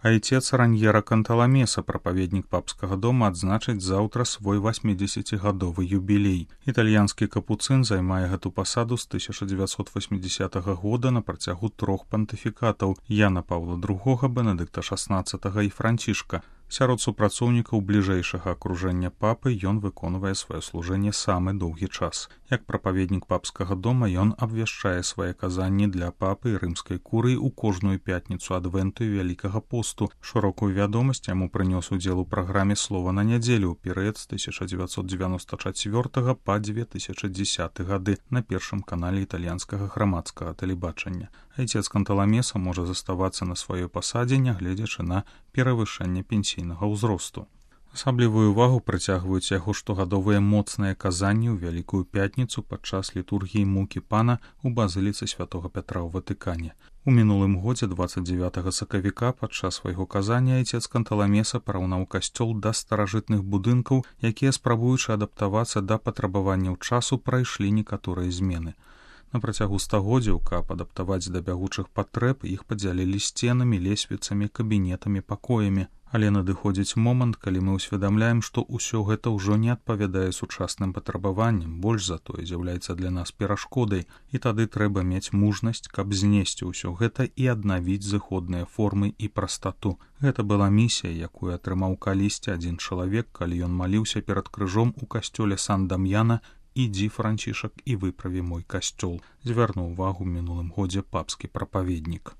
Айцец Раньера Канталамеса, прапаведнік папскага дома, адзначыць заўтра свой 80-гадовы юбілей. Італьянскі капуцын займае гэту пасаду з 1980 года на працягу 3 пантыфікатаў Яна Паўла II, Бенедыкта XVI і Францішка. Сярод супрацоўнікаў бліжэйшага акружэння папы ён выконвае сваё служэнне самы доўгі час. Як прапаведнік папскага дома ён абвяшчае свае казанні для папы і рымскай курыі ў кожную пятніцу адвенту і вялікага посту. Шырокую вядомасць яму прынёс удзел у праграме «Слова на нядзелю» ў перыяд з 1994 па 2010 гады на першым канале італьянскага грамадскага тэлебачання. Айцец Канталамеса можа заставацца на сваёй пасадзе, нягледзячы на перавышэнне пенсійнага ўзросту. Асаблівую ўвагу прыцягваюць яго штогадовыя моцныя казанні ў Вялікую пятніцу падчас літургіі мукі пана ў базыліцы святога Пятра ў Ватыкане. У мінулым годзе 29 сакавіка падчас свайго казання айцец Канталамеса параўнаў касцёл да старажытных будынкаў, якія, спрабуючы адаптавацца да патрабаванняў часу, прайшлі некаторыя змены. На працягу стагоддзяў, каб адаптаваць да бягучых патрэб, іх падзялілі сценамі, лесвіцамі, кабінетамі, пакоямі. Але надыходзіць момант, калі мы ўсведамляем, што ўсё гэта ўжо не адпавядае сучасным патрабаванням, больш за тое з'яўляецца для нас перашкодай, і тады трэба мець мужнасць, каб знесці ўсё гэта і аднавіць зыходныя формы і прастату. Гэта была місія, якую атрымаў калісьці адзін чалавек, калі ён маліўся перад крыжом у касцёле Сан-Дам'яна «Ідзі, Францішак, і выправі мой касцёл», звярнуў увагу ў мінулым годзе папскі прапаведнік.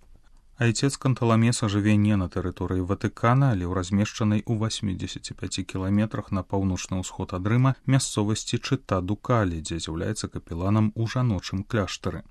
Айцец Канталамеса жыве не на тэрыторыі Ватыкана, але ў размешчанай у 85 кіламетрах на паўночны ўсход ад Рыма мясцовасці Чыта-ду-Калі, дзе з'яўляецца капеланам у жаночым кляштары.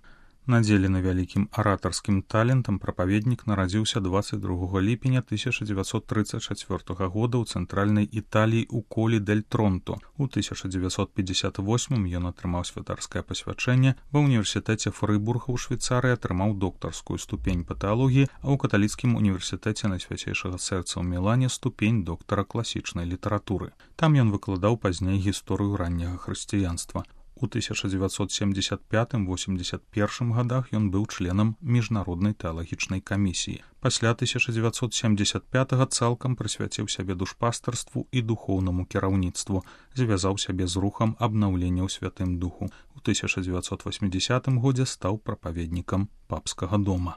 Надзелены вялікім аратарскім талентам, прапаведнік нарадзіўся 22 ліпеня 1934 года ў цэнтральнай Італіі ў Колі дель Тронто. У 1958 ён атрымаў святарскае пасвячэнне, ва ўніверсітэце Фрыбурга ў Швейцарыі атрымаў доктарскую ступень па тэалогіі, а ў каталіцкім універсітэце Найсвяцейшага сэрца ў Мілане ступень доктара класічнай літаратуры. Там ён выкладаў пазней гісторыю ранняга хрысціянства. У 1975-81 годах ён быў членам міжнароднай тэалагічнай камісіі. Пасля 1975 цалкам прысвяціў сябе душпастарству і духоўнаму кіраўніцтву, звязаў сябе з рухам абнаўлення ў Святым Духу. У 1980 годзе стаў прапаведнікам папскага дома.